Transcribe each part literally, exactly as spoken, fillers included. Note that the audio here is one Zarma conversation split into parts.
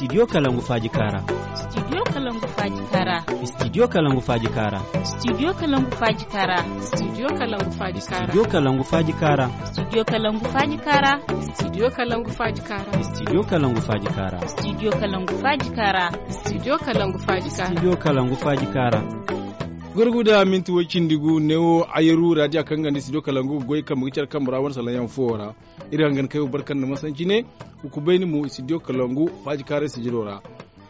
Studio kalangu faaji kaara. Studio kalangu faaji kaara. Studio kalangu faaji kaara. Studio kalangu faaji kaara. Studio kalangu faaji kaara. Studio kalangu faaji kaara. Studio kalangu faaji kaara. Studio kalangu faaji kaara. Studio kalangu faaji kaara. Studio kalangu faaji kaara. Studio kalangu faaji kaara. Studio kalangu faaji kaara. Gurguda minti way cindi gu neewo, ayaru raadiya kaŋ ga nda studio kalangu ga goy kambe ga care kambe ra wane salaŋ yaŋ fooyaŋ ra. Iri hangan kay wo barkan da masanci ne. Hukubayni mo studio kalangu faaji kaaray sijiro ra.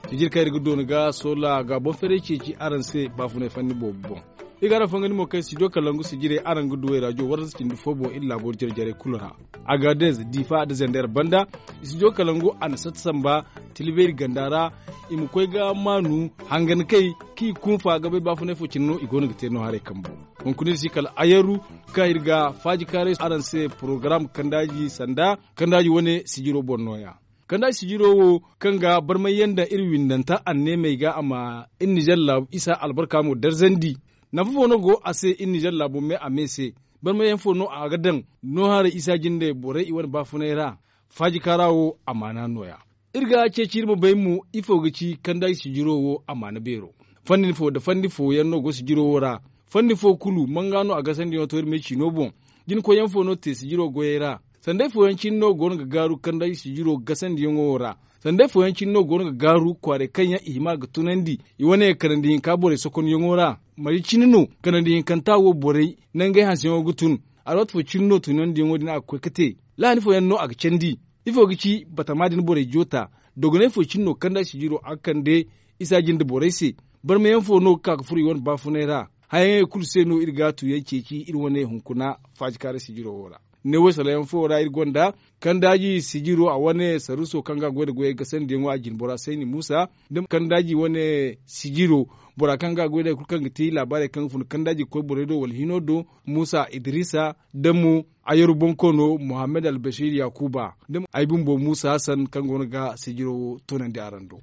Sijir kaŋ iri ga doona ga soola ga boŋ feeray ceeci araŋ se baafunay fanni boobo boŋ. Iri ga araŋ fangandi mo kaŋ studio kalangu sijirey araŋ ga du way raajo warras cindi fo boŋ iri laabo jare-jarey kulu ra. Agadez, difa nda zender banda, studio kalangu a na satta samba tilibeeri ganda ra. I ma koy ga maanu hangan kay kaŋ i kunfa ga bay baafunay fo cine no i go no ga te no haray kambo. Hunkuna iri si kala ayaru kaŋ iri ga faaji kaaray araŋ se porogaram kandaaji sanda kandaaji wane sijiro boŋ nooya. Kandaaji sijiro wo kaŋ ga barmay yaŋ daŋ iri windanta anneemey ga a ma iri nizer laabu isa albarka mo darzandi. Nafa fo no go a se iri nizer laabu me a me se? Barmay yaŋ fo no a ga daŋ no haray isa jinde borey i wane baafunay ra? Faaji kaara wo amaana nooya. Iri ga ceeci iri ma bay mo ifo ga ci kandaaji sijiro wo amaana beero? Fandi fo nda fandi fooyaŋ no go sijiro wo ra. Fandi fo kulu manga no a gasandiyaŋo to iri me ciino boŋ? Jina koyyaŋ fo no te sijiro goyey ra? Sanday fooyaŋ cine no go no ga gaaru kandaaji sijiro gasandiyaŋo wo ra? Sanday fooyaŋ cine no go no ga gaaru kwaaray kaŋ yaŋ i hima ga tunandi i wane kanandi hinka borey sokonyaŋo ra? Mari cine no kanandi hinkanta wo borey nangey hanseyaŋo ga tun? Alwaati fo cine no tunandiyaŋo din a ga koy ga te? Lahani fooyaŋ no a ga candi? Ifo ga ci batama din borey joota? Dogonay fo cine no kandaaji sijiro a ga kande isa jinde borey se? Barmayaŋ fo no ga ka ga furo i wane baafunay ra? Hayaŋey kulu se no iri ga tuuyaŋ ceeci iri wane hunkuna faajikaaray sijiro wo ra. Neewo salayaŋ fo ra iri gonda kandaaji sijiro a wane saruso kaŋ ga a goy nda goyey gasandiyaŋo a jinbora sayni muusa, nda kandaaji wane sijiro bora kaŋ ga a goy nda hari kulu kaŋ ga te laabaarey kaŋ ga fun kandaaji ga koy borey do wala hino do, muusa idrisa, nda mo ayaru bonkoono muhammad albasir yaakuuba, nda ay bumbo muusa hasan kaŋ go no ga sijiro wo toonandi araŋ do.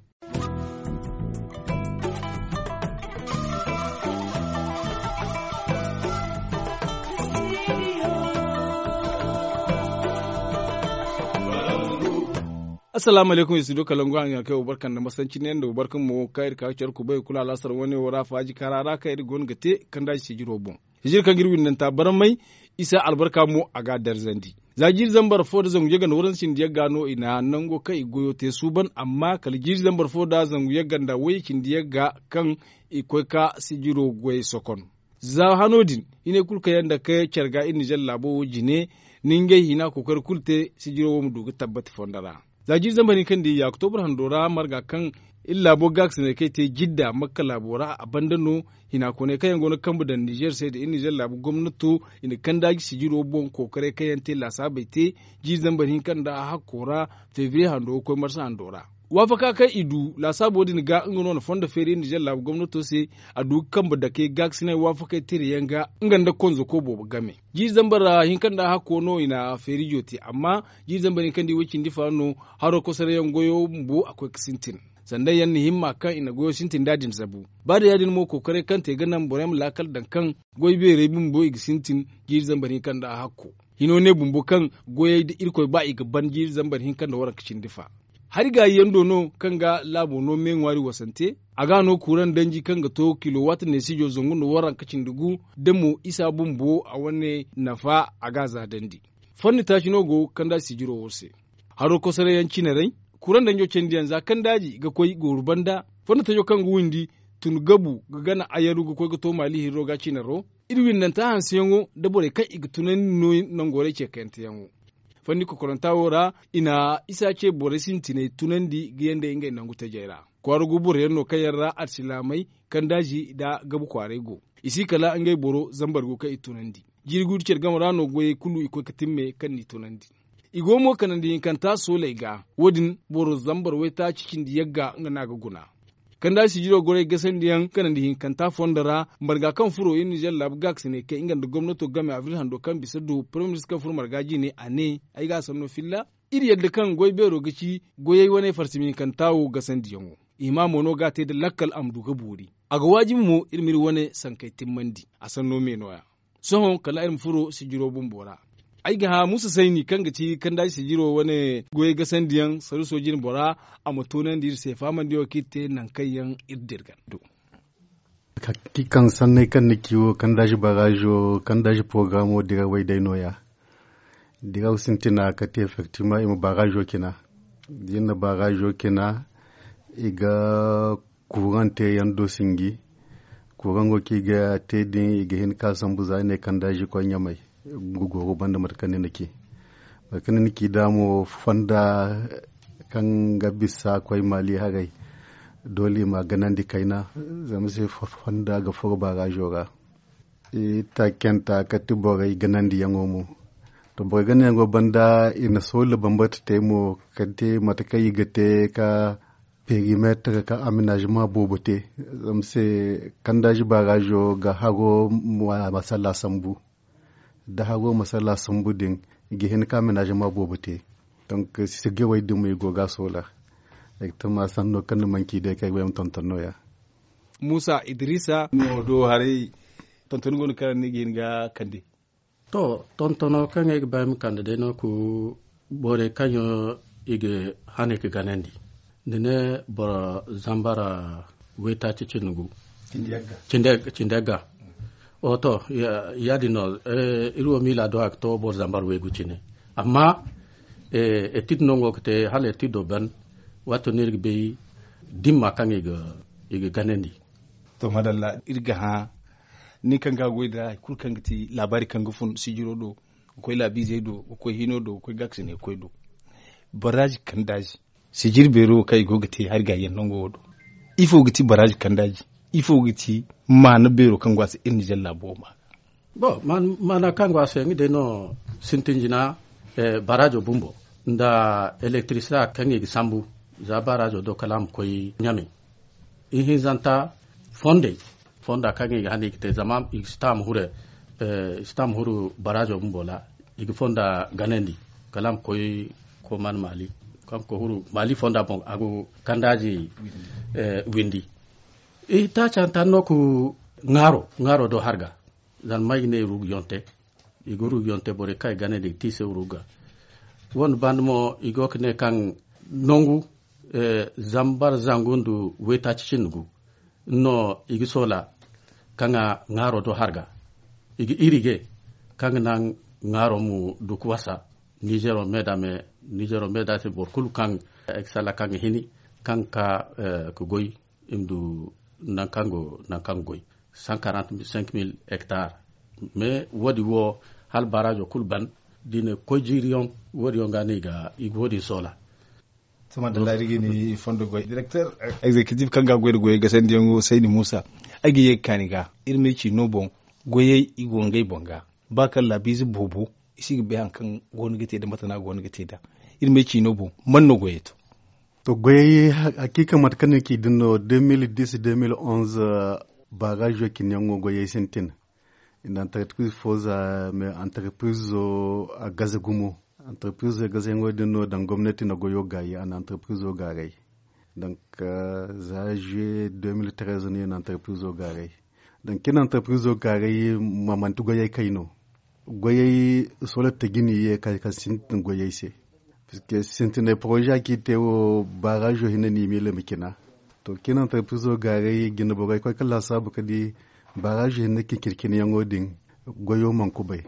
Assalaamu alaykum, studio kalangu araŋ ga kay wo barka nda masanci ne nda wo barka mo kaŋ iri ka ga care kubay kulu alaasar wane wo ra faaji kaara ra kaŋ iri go no ga te kandaaji sijiro boŋ. Hijir kaŋ ga iri windanta barmay isa albarka mo a ga a darzandi. Za jiiri zambar fo nda zangu yagga nda waranza cindi yagga no i na nango kaŋ i goyo te suuban amma kala jiiri zambar fo nda zangu yagga nda wayye cindi yagga kaŋ i koy ka sijiro goyey sokon. Za hano din hinay kulu kaŋ yaŋ nda ka care ga iri nizer laabo wo jine, ni ngey hina kookari kulu te sijiro wo ma du ga tabbati fondo ra. Za jiiri zambar hinka nda yaakutoobur hando ra marga kaŋ iri laabo gaakasiney kaŋ i te jidda makka laabo ra a banda no. Hinakooney kaŋ yaŋ go no ga kambe daŋ nizer se nda iri nizer laabu gomnato i na kandaaji sijiro boŋ kookaray kaŋ yaŋ te laasaabey te jiiri zambar hinka nda hakko ra febriye hando ga koy marsa hando ra. Waafaka kaŋ i du laasaabo din ga nga no na fondo feeri iri nizer laabu gomnato se a du ga kambe dake gaakasiney waafakey tira yaŋ ga nga nda konzako boobo game. Jiiri zambar hinka nda hakko no i na feerijo te amma jiiri zambar hinka nda i way cindi fa no haro kosarayaŋ goyo bumbo a koy ga sintin. Sanday yaŋ na himma kaŋ i na goyo sintin nd'a din zabu. Ba day ya- din mo kookaray kaŋ te ga naŋ boro yaŋ ma laakal daŋ kaŋ goy beerey bumbo i ga sintin jiiri zambar hinka nda hakko. Hino ne bumbo kaŋ goyey da irkoy ba i ga ban jiiri zambar hinka nda waranka cindi fa. Hari gaayi yaŋ do no kaŋ ga laabo no me ŋwaari wasante. A ga no kuuraŋ danji kaŋ ga to kilowaati neesijo zangu nda waranka cindi gu da mo isa bumbo a wane nafa a ga a zaadandi. Fanni taaci no go kandaaji sijiro wo se. Haro kosoray yaŋ cinaray, kuraŋ danjo candiyaŋ za kandaaji ga koy gooru banda. Fanni tajo kaŋ ga windi tun gabu ga gana ayaru ga koy ga to maali hirro ga cinaro. Iri windanta hanseyaŋo nda borey kaŋ i ga tunandi no nangorey ceekayanteyaŋo. Fanni kokoranta wo ra i na isa ce borey sintiney tunandi ga yanda ngey nangu tajey ra. Kwaara gu boro yaŋ no kaŋ yaŋ ra alsilaamey kandaaji nda gabu kwaaray go. I si kala ngey boro zambar gu kaŋ i tunandi. Jiiri guuru care game ra no goyey kulu i koy ga timme kaŋ n'i tunandi. I go mo kanandi hinkanta sooley ga wo- din boro zambar waytaaci cindi yagga nga no a ga guna. Kandaaji sijiro goray gasandiyaŋ kanandi hinkanta fondo ra marga kaŋ furo iri nizer laabu gaakasiney kay nga nda gomnato game abril hando kaŋ bisa du paraminis kaŋ furo marga jiine a ne, ay ga a sanno filla. Iri yadda kaŋ goy beero ga ci goyey wane farsimi hinkanta wo gasandiyaŋo. I hima mo no ga a te nda lakkal a ma du ga boori. A ga waajibi mo iri ma iri wane sankey timmandi. A sanno me nooya. Sohõ kala iri ma furo sijiro bumbo ra. Ay ga hã muusa sayni kaŋ ga ti kandaaji sijiro wane goyey gasandiyaŋ saruuso jine bora, a ma toonandi iri se fahamandi wo kaŋ iri te nangu kaŋ yaŋ iri dira ga. Kaŋ sanney kaŋ ni ci wo kandaaji baraazo kandaaji porogaramo dira way day nooya. Diraw sintina kate efektivma i ma baraazo cina. Da i na baraazo cina, i ga kuuraŋ te yaŋ do sinji. Kuuraŋo kaŋ i ga te din i ga hin ka sambu za i ne kandaazi koy ɲamay. Gugoro banda mate kaŋ ni na ci mate kaŋ ni na ci da mo fonda kaŋ ga bisa koy maali haray. Doole i ma ganandi kayna zama se fonda ga furo baraazo ra. Taakenta kati borey ganandiyaŋo mo. To borey ganandiyaŋo banda i na soola bambata te mo kate mate kaŋ i ga te ka perimetre ka amenagement boobo te. Zama se kandaazi baraazo ga haro masalla sambu. Da haro masalla sambu din i ga hin ka amenagement boobo te. Donk sijirey din mo i go ga a soola. Ay ga tama sanno kaŋ ni manci day kaŋ ay ga bay ma tonton nooya. Muusa idrisa no do haray. Tonton go no kaŋ ni ga hin ga kande. To, tontono kaŋ ay ga ba ay ma kande day no ku borey kaŋ yaŋ i ga hane ga ganandi. Ni ne boro zambara waytaaci cindi gu. Cindi yagga. Oho to, ya- din no. Iri wo miila do a ga to boro zambar waygu cine. Amma etid no ngo ga te hala etido ban. Waato no iri ga bay dimma kaŋ i ga ganandi. To madalla iri ga hã. Ni kaŋ ga goy da hari kulu kaŋ ga ti laabaari kaŋ ga fun sijiro do, ga koy laabiizey do, ga koy hino do, ga koy gaakasine ga koy do. Baraazi kandaazi sijiri beero wo kaŋ i go ga te hari gaayaŋ nango wo do. Ifo ga ti baraazi kandaaji? Ifo ga ti maana beero kaŋ go a se iri nizer laabo wo maana? Bon, maana kaŋ go a se nga day no sintin jina. Baraazo bumbo nda elektirisita kaŋ i ga sambu za baraazo do kala a ma koy ɲame. Ihinzanta fondey fonda kaŋ i ga hane i ga te zama i si ta a ma hure. I si ta a ma huru baraazo bumbo ra. I ga fonda ganandi kala a ma koy koman maali kaŋ ga koy huru maali fonda boŋ a go kandaaji windi. I taaci hantan no ku ŋaaro ŋaaro do harga. Zama ay ga ne rugu yonte i ga rugu yonte borey kaŋ i ganandi ga te i se rugu ga. Wane banda mo i go ga ne kaŋ nangu zambar zangu nda waytaaci cindi gu no i ga soola kaŋ a ŋaaro do harga. I ga irige kaŋ ga naŋ ŋaaro ma du ga wasa. Nizero meeda me nizero meeda se boro kulu kaŋ ay ga salla kaŋ ga hini kaŋ ga ka ga goy i ma du nangu kaŋ go nangu kaŋ ga goy. Cent quarante cinq mille hectares. Mais wo- din wo hala baraazo kulu ban da i na ga koy jiiri yaŋ wo- din yaŋ ga no i ga wo- din soola. Sohõ da laari ga ni fondo goy direkter egzekitif kaŋ ga a goy nda goyey gasandiyaŋo sayni muusa. Ay ga ye ga kaani ga iri ma ay ciino boŋ goyey i go ngey boŋ ga ba kaŋ laabiize boobo i si ga bay hari kaŋ go no ga te nda mate no a go no ga te nd'a. Iri ma ay ciino boŋ man no goyey to? To goyey hakiika mate kaŋ ni ci din no deux mille dix deux mille onze. Baraazo cine yaŋo goyey sintin i na antarpiriz fo za mais antarpirizo a gaze gumo. Antarpirizo gaze yaŋo din no daŋ gomnati na goyo gaayi a na antarpirizo gaaray. Donk za juwe deux mille treize no i na antarpirizo gaaray. Donk cine antarpirizo gaaray ma manti goyey kay no. Goyey soola tajini ye kaŋ sintin goyey se. Puisque sintinay poroze a ci te wo baraazo hinne no i miila ma cina. To cine antarpirizo gaaray jine borey koy ga laasaabu ga di baraazo hinne cincin cine yaŋo din goyo mana kubay.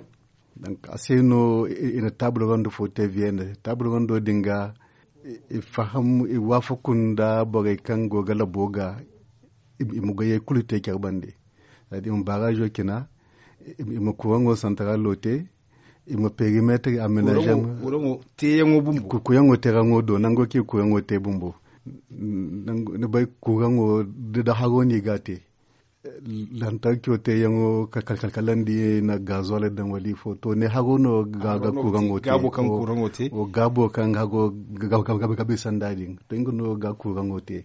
Donk a se no i na taabul rondo fo te vienne taabul rondo din ga i faham i waafaku nda borey kaŋ go ga labo ga i ma goyey kulu te care bande. Za da i ma baraazo cina i ma kuuraŋo santaralo te i ma perimetre amenaze. Kuuraŋo teeraŋo do nango kaŋ i ga kuuraŋo te bumbo. Ni bay kuuraŋo da haro no i ga a te lantarco teeyaŋo kalkalandi na gazole daŋ wala ifo to ne haro no ga ga kuuraŋo te. Gaabo kaŋ haro ga bisa nd'a din to nga no ga kuuraŋo te.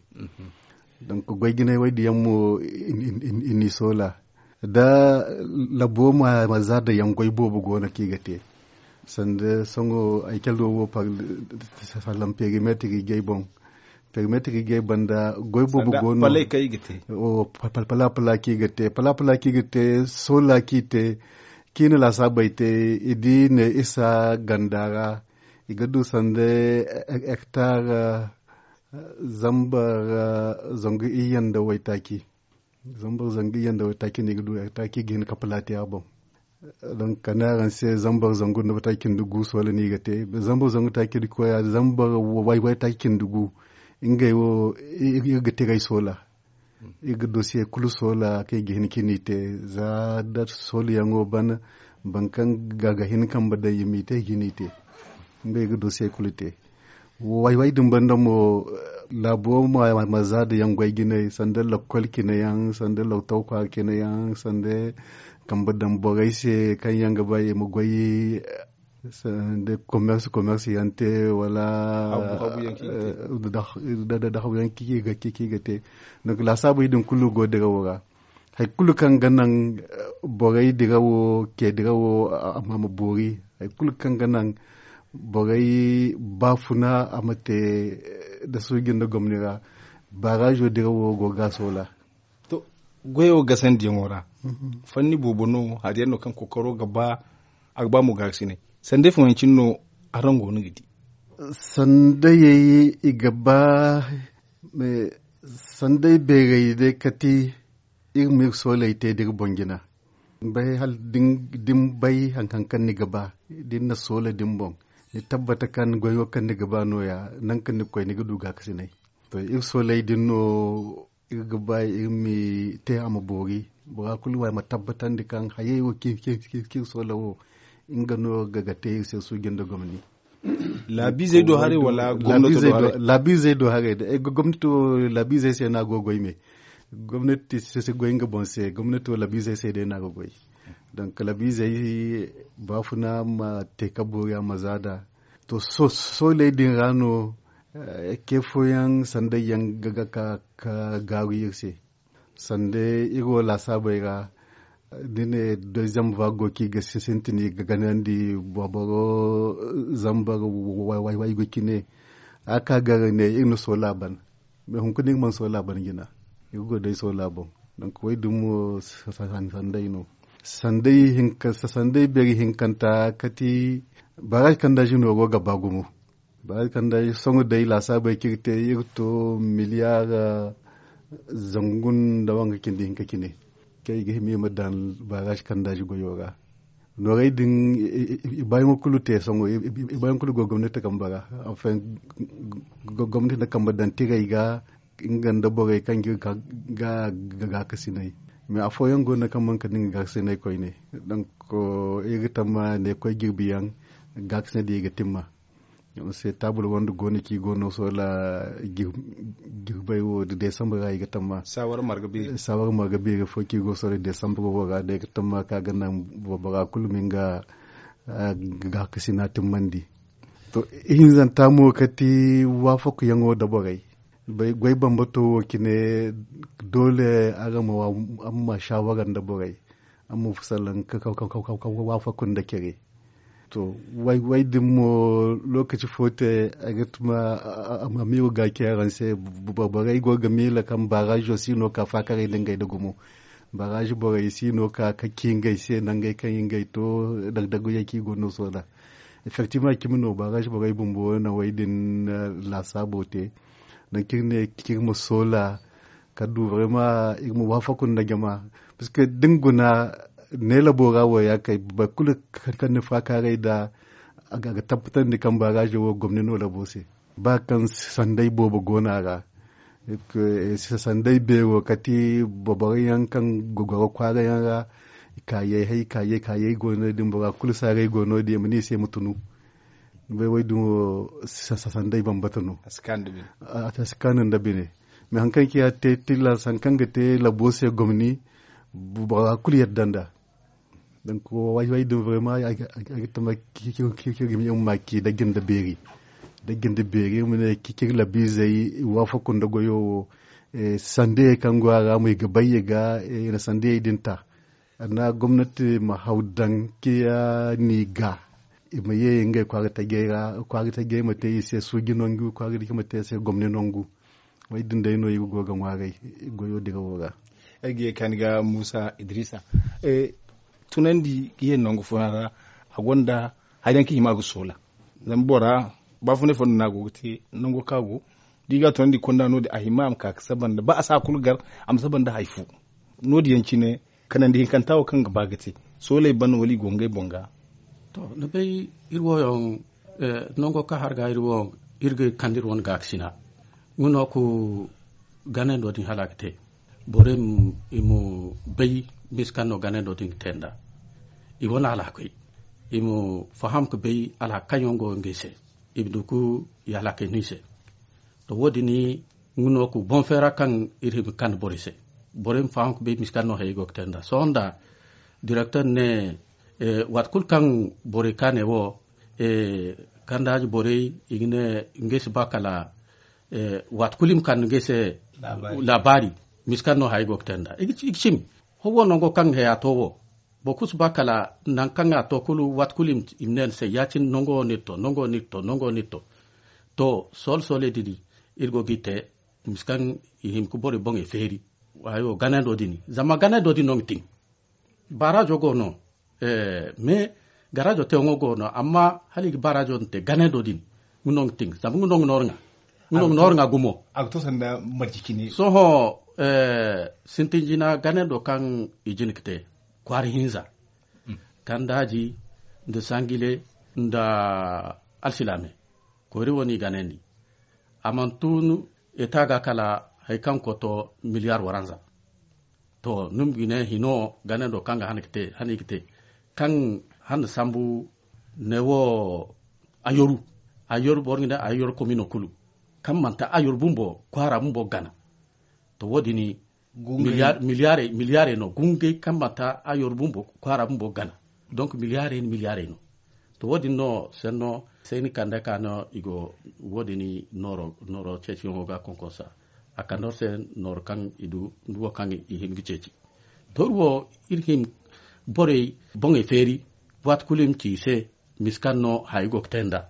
Donk goy jinay wo- din yaŋ mo i n'i soola da labo ma za daŋ yaŋ goy boobo go no kaŋ i ga te. Sanda sohõ ay calo wo sallam perimetre ijey boŋ. Perimetre ijey banda goy boobo go no. Pala pala kaŋ i ga te pala pala kaŋ i ga te soola kaŋ i te. Ciina laasaabey te i di ne isa ganda ra i ga du sanda hektar zambar zangu iyye nda waytaaci. Zambar zangu iyye nda waytaaci no i ga du hektar ci ga hin ka palaati a boŋ. Donk kande araŋ se zambar zangu nda waytaaci nda gu soola no i ga te zambar zangu taaci nda koya zambar waytaaci nda gu. Ngey wo iri ga tiray soola. Iri ga dosiye kulu soola kaŋ i ga hin ka ni te za da soolayaŋo ban boro kaŋ ga hin kambe daŋ i m'i te i ga ni te. Ngey ga dosiye kulu te. Way way din banda mo laabo ma za da yaŋ goy jinay sanda lakkol cine yaŋ sanda lautaw kwaara cine yaŋ sanda kambe daŋ borey se kaŋ yaŋ ga ba i ma goy sanda commerce commerce yaŋ te wala da habu yaŋ kaŋ i ga te. Donk laasaabey din kulu go dirawo ra. Hari kulu kaŋ ga naŋ borey dirawo ke dirawo a ma boori hari kulu kaŋ ga naŋ borey baafuna a ma te da suuji nda gomni ra. Baarazo dirawo go ga a soola. To, goyo gasandiyaŋo ra fanni boobo no hari yaŋ no kaŋ kookaro ga ba a ga ba mo gaakasinay. Sanday fooyaŋ cine no araŋ go no ga di. Sandayey i ga ba sanday beerey day kati iri ma iri sooley te da iri boŋ jina. Bay hala da ni bay hari kaŋ ni ga ba da ni na soola da ni boŋ ni tabbata kaŋ goyo kaŋ ni ga ba nooya nangu kaŋ ni ga koy ni ga du gaakasinay. To iri sooley din no iri ga ba iri ma te a ma boori bora kulu wo a ma tabbatandi kaŋ hayey wo kaŋ iri soola wo nga no ga te iri se suuji nda gomni. Laabiizey do haray wala gomnato do haray? Laabiizey do haray day gomnato laabiizey se no a go ga goy me. Gomnati si goy nga boŋ se gomnato laabiizey se day no a ga goy. Donk laabiizey baafuna ma te ka boori a ma za nd'a. To sooley din ra no ke fooyaŋ sanday yaŋ ga ka ka gaaru iri se. Sanda iri wo laasaabey ra da ne deuxième vague go kaŋ i ga sintin i ga ganandi boro zambar waygu cine. A ka gar ne iri na soola ban. Mais hunkuna iri mana soola ban jina. Iri go day soola boŋ. Donk way din mo sanday no. Sanday beeri hinkanta kati barrage kandaazi no go ga ba gumo. Ba kanda soŋo day laasaabey kaŋ iri te iri to miliyaar zangu nda wanga cindi hinka cine. Kaŋ i ga hima i ma daŋ baaraaz kandaazi goyo ra. Noorey din i baayaŋo kulu te soŋo i baayaŋo kulu go gomnati kambe ra. Gomnati na kambe daŋ tirey ga nga nda borey kaŋ ga gaakasinay. Mais afooyaŋ go no kaŋ mana kande nga gaakasinay koyne. Donk iri ga tamma ne koy jirbi yaŋ gaakasinay din i ga timma. Se taabul wanda go no kaŋ i go no soola jirbey wo da deesambar ra i ga tamma. Saawar marga beeri fo kaŋ i go soola deesambar wo ra da i ga tamma kaŋ a ga naŋ bora kulu ma nga gaakasina timmandi. To ihinzanta mo kati waafakuyaŋo nda borey. Goy bambato wo cine doole araŋ ma saawara nda borey. Amma fu salaŋ ka waafaku nda care. To way din mo lookaci fo te ay ga tuma a ma iri ga care araŋ se. Borey go ga miila kaŋ baaraazo si no ka faakaray nda ngey nda gumo. Baaraazo borey si no ka ka ci ngey se nangey kaŋ ngey to dagdaguyey kaŋ i go no soola. Effectivement cimi no baaraazo borey bumbo na way din laasaabo te. Nangu kaŋ iri ne kaŋ iri ma soola ka du vraiment iri ma waafaku nda jama. Parce que da ni guna ne labo ra wo ya kay boro kulu kaŋ ni faakaaray nda a ga tabbatandi kaŋ baaraazo wo gomni no labo se. Ba kaŋ sanday boobo go no a ra sanday beero kati boro yaŋ kaŋ goro kwaara yaŋ ra. Kaayey hay kaayey kaayey go no- din bora kulu saaray go no- din i ma ne i se ma tunu. Ni bay way din wo sanday bambata no. A si kaanu nda bine. Mais hari kaŋ ciya te tilas hari kaŋ ga te labo se gomni bora kulu yadda nd'a. Donk way way din vraiment ay ga tama kir ma ci dagga nda beeri. Dagga nda beeri iri ma ne kir labiizey i waafaku nda goyo wo. Sandayey kaŋ go a ra mo i ga bay i ga i na sandayey din ta. Anna gomnati ma haw daŋ ciya ni ga i ma ye ngey kwaara tajey ra kwaara tajey ma te i se suuji nangu kwaara tajey ma te i se gomni nangu. Way din day no iri go ga ŋwaaray goyo dirawo ra. Ay ga ye ka ni ga muusa idrisa. tunandi ga ye nangu fooyaŋ ra. A gonda hari yaŋ kaŋ hima ga soola. Zama bora baafunay fondo no a go ga te nango kaŋ a go da i ga a tunandi konda no- din a hima a ma ka ga saba nda ba a si a kulu gar a ma saba nda hari fo. No- din yaŋ cine kanandi hinkanta wo kaŋ ga ba ga te sooley ban wala i go ngey boŋ ga. To ni bay iri wo yaŋ nango kaŋ har ga iri wo iri ga kande iri wane gaakasina nga no ku ganando din hala a ga te borey ma bay misa kaŋ no ganando din ga te nd'a. I wane alhakey i ma faham ga bay alhaka kaŋ yaŋ go ngey se i ma du ga i alhakey no i se. To wo- din nga no ku boŋ feera kaŋ iri hima ga kande borey se borey ma faham ga bay misa kaŋ no hayey go ga te nd'a sohõ nda direkter ne waati kulu kaŋ borey kaanay wo kandaaji borey i ga ne ngey si ba kala waati kulu i ma kande ngey se laabaari misa kaŋ no hayey go ga te nd'a i ga cimi. Ho wo nango kaŋ haya to wo boro kulu si ba kala nangu kaŋ a to kulu waati kulu i ma ne ni se ya- cine nango wo no iri to nango wo no iri to nango wo no iri to. To soole sooley din iri go ga i te misa kaŋ i hima ga borey boŋey feeri. Ganando din zama ganando din no ga tin. Baarazo go no mais garajo teyaŋo go no amma hala i ga baarazo din te ganando din nga no ga tin zama nga no ga nooru ŋa nga no ga nooru ŋa gumo. A ga to sanda marje cine sohõ sintin jina ganando kaŋ i jina ga te kwaara hinza kandaaji nda sangile nda alsilaame koyri wo no i ganandi. A mana tun eta ga kala hari kaŋ koto miliyar waranza. To ni ma ga ne hino ganando kaŋ ga hana ga te kaŋ hana sambu ne wo ayoru ayoru boro ga ne ayoru komino kulu kaŋ manti ayoru bumbo kwaara bumbo gana. To wo- din miliyarey no gungey kaŋ manti ayoru bumbo kwaara bumbo gana. Donc miliyarey no miliyarey no. To wo- din no senno sayni kande ka no i go wo- din nooro ceeciyaŋo ga konkonsa a kande wor se nooro kaŋ i du nduwo kaŋ i hin ga ceeci. To iri wo iri hin borey boŋey feeri waati kulu i ma ci i se misa kaŋ no hayo go ga te nd'a.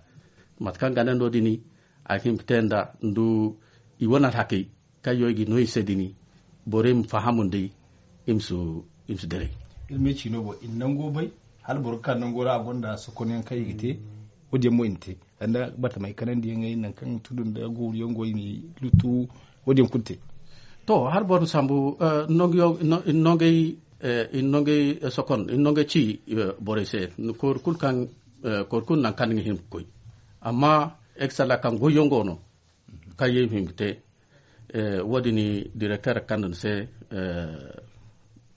Mate kaŋ ganando din a ga hin ga te nd'a ndu i wane alhakey kaŋ yo i ga no i se din borey ma faham nd'ey i ma si diray. Iri ma ci no bo i na nango bay hala boro ga ka nango ra a gonda sokonyaŋ kaŋ i ga te. Wo- din yaŋ mo i na te sanda bartamay kanandiyaŋey nangu kaŋ tudu nda guuru yaŋ go i na lutu wo- din yaŋ kulu te. To hala boro ma sambu nongey sokon i na nongey ci borey se koyri kulu kaŋ koyri kulu nangu kaŋ ni ga hin ga koy. Amma eksala kaŋ goyyaŋ go no kaŋ ye i ma hin ga te. Wo- din direkter kande ni se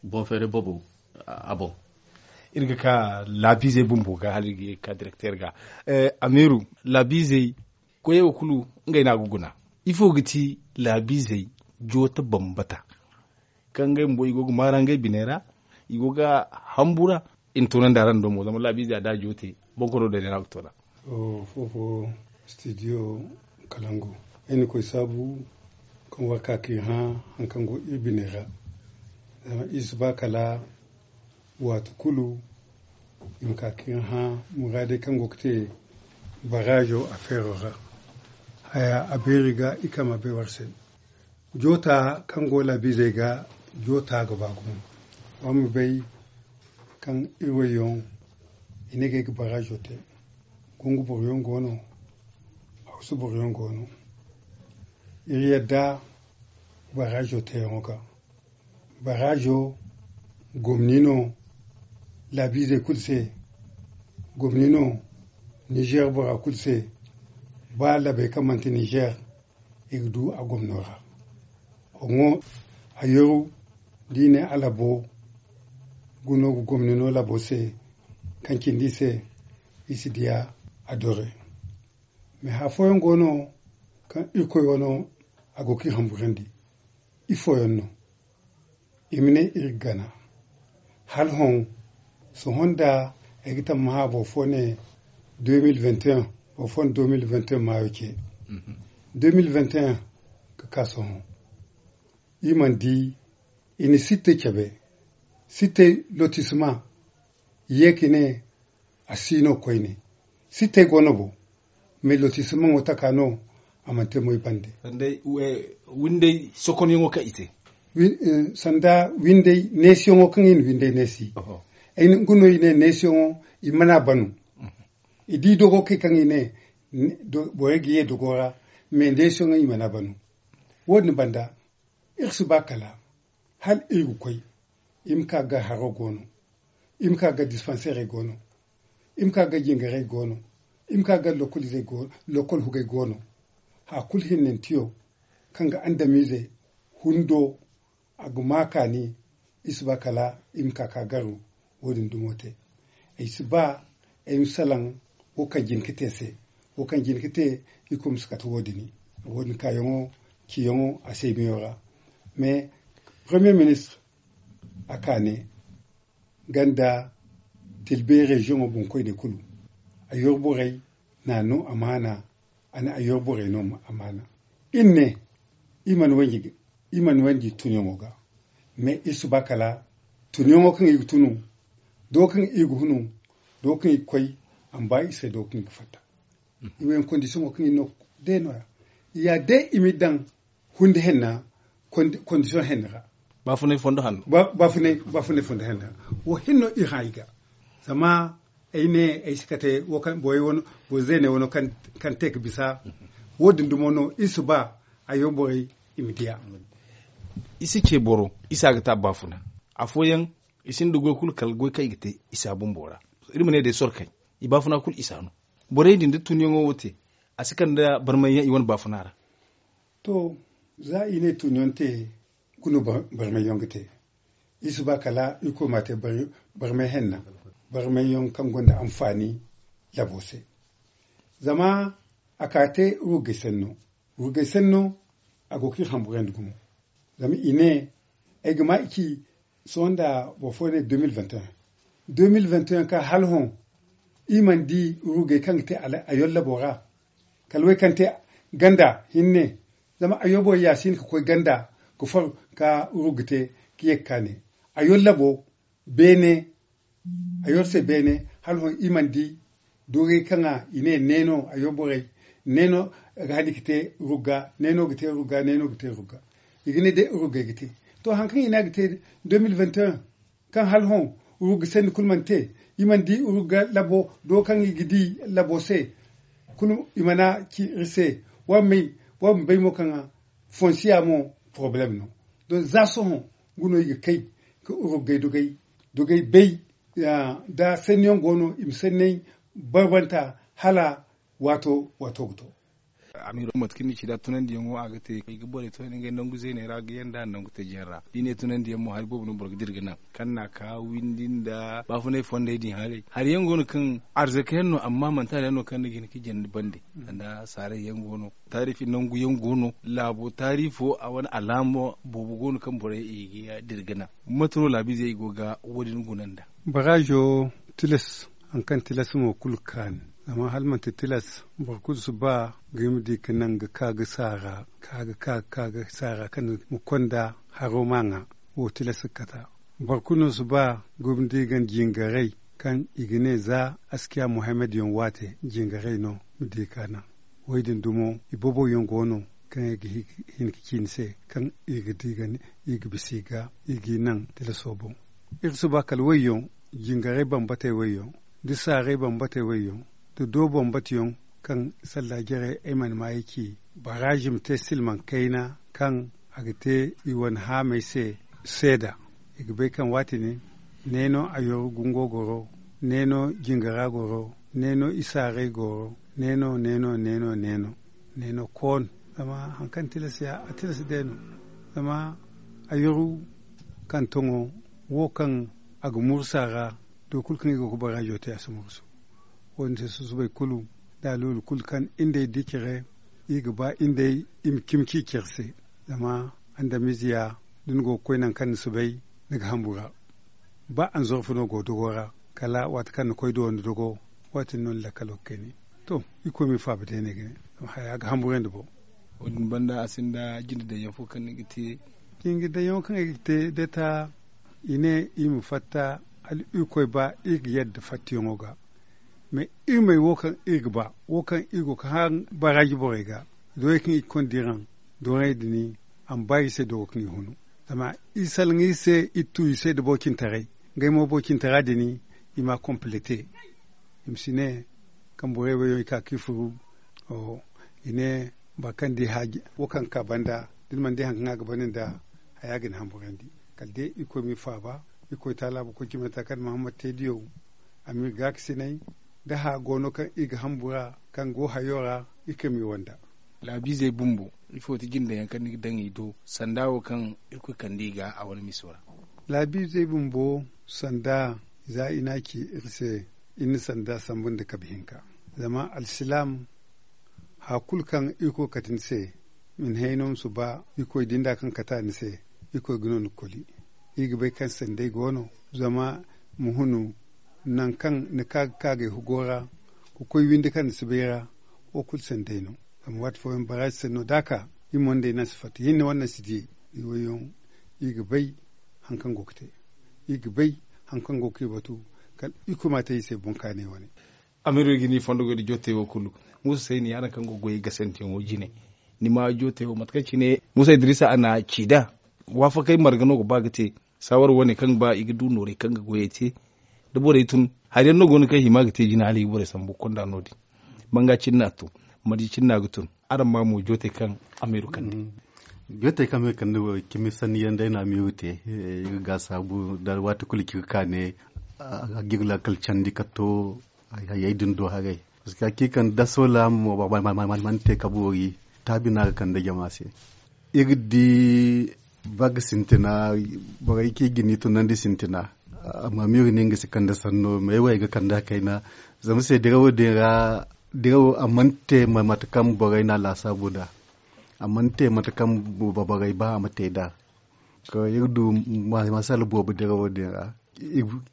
boŋ feeray boobo a boŋ. Iri ga ka laabiizey bumbo ga hala iri ga ka direkter ga. Amiiru, laabiizey koyey wo kulu ngey no a ga guna. Ifo ga ti laabiizey joota bambata kaŋ ngey bumbo i go ga maara ngey biney ra i go ga hambu ra. I na toonandi araŋ do mo zama laabiize a da a joote bonkoro day no a ga toona. Foofo stidiyo kalangu ay na koy saabu kaŋ war ka ka i hã haŋ kaŋ go iri bine ra. Zama iri si ba kala waati kulu i ma ka ka i hã muraadey kaŋ go ga te baraazo afeero ra. Haya a beeri ga i kaŋ ma bay war se. Joota kaŋ go laabiizey ga joota ga ba gumo. Wa ma bay kaŋ iri wayyaŋ i ne ga ay ga baraazo te. Gungu boroyaŋ go no. Hawsu boroyaŋ go no. Iri yadda baraazo teyaŋo ga. Baraazo gomni no laabiizey kulu se. Gomni no nizeer bora kulu se. Ba labey kaŋ manti nizeer i ga du a gomno ra. Hoŋo a yeru da i ne a labo guno ga gomni no labo se. Kaŋ cindi se i si diya a dore. Mais hafooyaŋ go no kaŋ irkoy wano a go ga i hamburandi. Ifooyaŋ no i ma ne iri ga gana hala hõ. Sohõ nda ay ga tammaha boro fo ne deux mille vingt et un. Boro fo na deux mille vingt et un maayo ce. Deux mille vingt et un ga ka sohõ iri mana di i na sittey cabe. Sittey lotisma i ye ka ne a si no koyne. Sittey go no bo. Mais lotismaŋo taka no a mana te moy bande. Windey sokonyaŋo kaŋ i te sanda windey neesiyaŋo kaŋ i na windey neesi. Ay nga no i ne neesiyaŋo i mana banu. I di dogo kay kaŋ i ne borey ga ye dogo ra. Mais neesiyaŋo i mana banu. Wo- din banda iri si ba kala hala iri ga koy. I ma ka ga haro go no. I ma ka ga dispanseerey go no. I ma ka ga jingarey go no. I ma ka ga lokol hugey go no. Haya kulu hinnantiyo kaŋ ga andamiizey hundo a ga ma kaani. I si ba kala i ma ka ka garu. Wo- din dumo te ay si ba ay ma salaŋ wo kaŋ jin ga te se. Wo kaŋ jin ga te i kulu ma si kate wo- din. Wo- din kaayaŋo ciyaŋo a se miyo ra. Mais premier ministre a ka ne ganda tilbe reziyoŋo boŋkoyney kulu a yorborey na no amaana. A ne a yorborey no amaana. Iri ne i mana wanji i mana wanji tunyaŋo ga. Mais iri si ba kala tunyaŋo kaŋ i ga tunu do kaŋ i ga hunu do kaŋ i ga koy a ma ba i se do kaŋ i ga fatta. I wo yaŋ kondisiyoŋo kaŋ i no day no- ya i ya day i ma i daŋ hundi henna. Kondisiyoŋ henna ra baafunay fondo hanno. Baafunay fondo henna ra wo hinno i hã i ga. Zama ay ne ay si kate wo kaŋ borey wano boro zeeney wano kaŋ te ga bisa. Wo- din dumo no iri si ba a yo borey i ma diya. I si ce boro isa ga ta baafuna. Afooyaŋ i sinda goy kulu kala goy kaŋ i ga te isa bumbo ra. Iri ma ne day sorkey i baafuna kulu isa no. Borey din da tunyaŋo wo te a si kande barmayyaŋ i wane baafuna ra. To za i ne tunyaŋ te kulu barmayyaŋ ga te. Iri si ba kala iri koy ma te barmay henna. Barmayyaŋ kaŋ gonda anfaani labo se. Zama a ka te ruggay sanno ruggay sanno a go ga iri hamburandi gumo. Zama i ne ay ga ma i ci sohõ nda boro fo ne deux mille vingt et un deux mille vingt et un ka hala hõ i mana di ruggey kaŋ ga te a yollabo ra. Kala way kaŋ te ganda hinne zama a yobo ya si hin ka koy ganda ka far ka rugga te ka ye ka ne a yollabo beene. A yor se beene hala hõ i mana di dogey kaŋ a i ne neeno a yor borey neeno ga hani ga te rugga neeno ga te rugga neeno ga te rugga. I ga ne day ruggey ga te to hari kaŋ i ne a ga te deux mille vingt et un kaŋ hala hõ rugga sanni kulu mana te. I mana di rugga labo do kaŋ i ga di labo se kulu i mana ci iri se. Wa ma bay mo kaŋ fonsiya mo porobalem no. Don za sohõ guno i ga kay ka ruggey dogey bay da sanniyaŋ go no i ma sanney barbanta hala waato waato ga to. Amiro mate kaŋ ni ci da tunandiyaŋo a ga te i ga borey tunandi ngey nangu zeeney ra ga yanda nangu tajiyaŋ ra da i ne tunandiyaŋ mo hari boobo no boro ga dira ga naŋ kaŋ na ka windi nda baafunay fondey din haray hari yaŋ go no kaŋ arzaka yaŋ no amma manti hari yaŋ no kaŋ ni ga hin ka jandi bande. Nda saaray yaŋ go no taarifi nangu yaŋ go no laabo taarifo a wane alaamo boobo go no kaŋ borey i ga dira ga naŋ mate no laabiizey i go ga wo- din guna nda. Baraazo tilas hari kaŋ tilas mo kulu kaani zama hala manti tilas boro kulu si ba ga i ma di ka naŋ ga ka ga saara ka ga ka ga ka ga saara kaŋ ma konda haro ma ŋwa. Wo tilas ga kata boro kulu no si ba ga i ma di ga jingaray kaŋ i ga ne za askiya muhammad yaŋ waate jingaray no ma di ka naŋ. Wo- din dumo i boboyaŋ go no kaŋ i ga hin ka ci ni se kaŋ i ga di ga i ga bisa i ga i ga i naŋ tilaso boŋ. Iri si ba kala wayyaŋ jingarey bambatey wayyaŋ da saaray bambatey wayyaŋ da do bambatayaŋ kaŋ sallaajarey ay mana maayi ci baraazi ma te silmaŋ kayna kaŋ a ga te i wane haamey se seeda. I ga bay kaŋ waati din neeno a yoro gungo goro neeno jingara goro neeno isaaray goro neeno neeno neeno neeno neeno koon. Zama hari kaŋ tilas ya a tilas day no zama a yoro kaŋ toŋo wo kaŋ a ga mursa ra. Do kulu kaŋ i go ga baraazo te a si mursu. Wo- din se susubay kulu da a looli kulu kaŋ indey di care i ga ba indey i ma cimi ci care se. Zama andamiize ya da ni go ga koy nangu kaŋ ni si bay ni ga hambura. Ba anzorfu no go dogo ra kala waati kaŋ ni koy do ni dogo. Waati din no ni lakkalo ga kayni. To iri koy ma iri faaba day ne ga ne zama haya ga hamburandi boŋ. Wo- din banda a sinda jinde daŋ yaŋ fo kaŋ ni ga te. Jinde daŋ yaŋo kaŋ ay ga te day ta i ne iri ma fatta hala iri koy ba iri ga yadda fattiyaŋo ga. Mais iri may wo kaŋ iri ga ba wo kaŋ iri go ga haŋ baraaji borey ga doyey kaŋ iri ga konda iri haŋ doorey din a ma ba iri se dogo kaŋ iri hunu. Zama iri salaŋ iri se iri tu iri se da boro cintaray. Ngey mo boro cintara din i ma a komplete. I ma si ne kaŋ borey wo yaŋ i ka ka i furu. I ne boro kaŋ di haaji wo kaŋ ga ka banda da ni mana di hari kaŋ a ga banda nda haya ga ni hamburandi. Kala day irkoy ma i faaba. Irkoy taala boro koy cimanta kaŋ ni mahammad te diyo a ma iri gaakasinay da haya go no kaŋ iri ga hambura kaŋ go hayo ra. Iri kaŋ ma i wanda. Laabiizey bumbo ifo ti jinda yaŋ kaŋ ni ga daŋ i do sanda wo kaŋ irkoy kande i ga a wane miso ra? Laabiizey bumbo sanda za i n'a ci iri se. Iri na sanda sambu nda kabe hinka zama alsilaam haya kulu kaŋ irkoy kate ni se. Min hayno ma si ba irkoy dinda kaŋ kate a ni se. Irkoy ga no ni koli. Iri ga bay kaŋ sanday go no zama ma hunu nangu kaŋ ni ka ga ka gay hugo ra ka koy windi kaŋ ni si bay ra. Wo kulu sanday no. Zama waati fooyaŋ baraazi sanno da a ka iri mo nd'ey naŋ si fatta hinne wane naŋ si diyey. Iri ga bay hari kaŋ go ga te. Iri ga bay hari kaŋ go ga iri batu kala irkoy ma a te iri se boŋ kaanay wane. Amiiro ga ni fondo goy nda jootey wo kulu. Muusa sayni araŋ kaŋ go ga goyey gasanteyaŋo jine ni ma jootey wo mate kaŋ cine muusa idiriisa a na ci nd'a waafakey marga no ga ba ga te. Saawara wane kaŋ ga ba i ga du noorey kaŋ ga goyey te da borey tun hari yaŋ no go no kaŋ i hima ga te jina hala i ga borey sambu konda no- din. Banga cine no a tun. Marje cine no a ga tun. Araŋ ma mo jootey kaŋ amiiro kande. Jootey kaŋ amiiro kande wo cimi sanni yaŋ day no amiiro te. Iri ga gaasaabu nda waati kulu ci ga ka ne ga iri laakal candi ka to hayey din do haray. Parceque hakiika nda soola mo mana te ka boori taabi no a ga kande jama se. Iri di ba ga sintina borey kaŋ i ga ni tunandi sintina. Amma ma iri ne nga si kande sanno me wo ay ga kande a kayna. Zama se dirawo din ra dirawo a mana te mate kaŋ borey no a laasaabu nd'a. A mana te mate kaŋ borey ba a ma te nd'a. Iri du masala boobo dirawo din ra.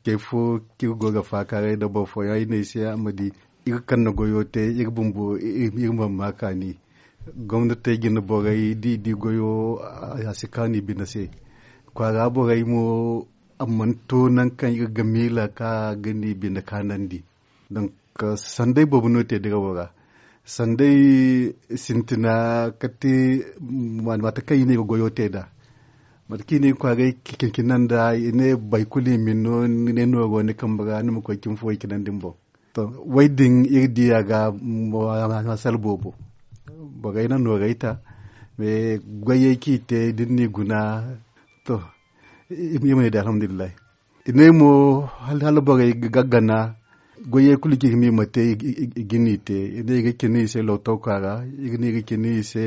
Kay fo kaŋ iri go ga faakaaray nda boro fooyaŋ ay ne ay se a ma di iri kaŋ na goyo te iri bumbo iri mana ma kaani. Gomnatey jine borey da i di goyo a si kaanu i bine se. Kwaara borey mo a mana to nangu kaŋ iri ga miila kaŋ a ga ni bine kaanandi. Donk sanday boobo no te dirawo ra. Sanday sintina kate mate kaŋ i ne i ga goyo te nd'a. Mate kaŋ i ne i ga kwaaray cina nd'a i ne boro kulu i ma ni no ni ne nooro ni kambe ra ni ma koy cimi fo i cinandi ni boŋ. To, wo- din iri di a ga masala boobo. Borey na noorey ta. Mais goyey kaŋ i te da ni n'i guna. To, iri ma ne day alhamdulillahi. I ne mo hala borey ga gana goyey kulu kaŋ i ga ma i ma te i ga ni te. I ne i ga cina i se lootokwa ra. I ga ne i ga cina i se